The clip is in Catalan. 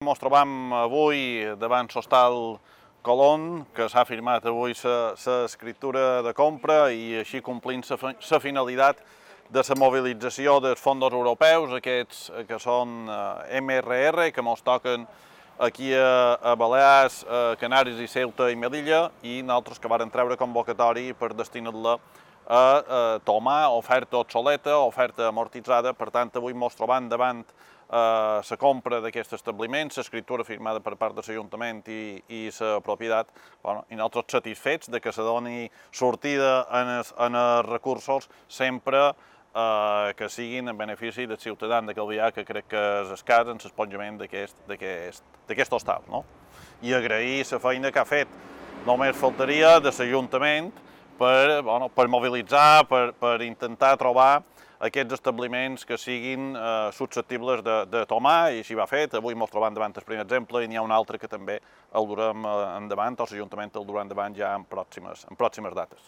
Ens trobam avui davant l'hostal Colón, que s'ha firmat avui l'escriptura de compra i així complint la finalitat de la mobilització dels fons europeus, aquests que són MRR, que ens toquen aquí a Balears, Canàries i Ceuta i Melilla, i nosaltres que varen treure convocatori per destinar-la a tomar oferta obsoleta, oferta amortitzada. Per tant, avui ens trobam davant la compra d'aquest establiment, l'escriptura firmada per part de l'Ajuntament i la propietat, i nosaltres satisfets de que se doni sortida en els recursos sempre que siguin en benefici dels ciutadans de Calvià, que crec que és escàs en l'esponjament d'aquest hostal. I agrair la feina que ha fet, només faltaria, de l'Ajuntament per mobilitzar, per intentar trobar aquests establiments que siguin susceptibles de tomar, i així va fet. Avui ens trobem davant el primer exemple i n'hi ha un altre que també el durem endavant, o l'Ajuntament el durà endavant ja en pròximes dates.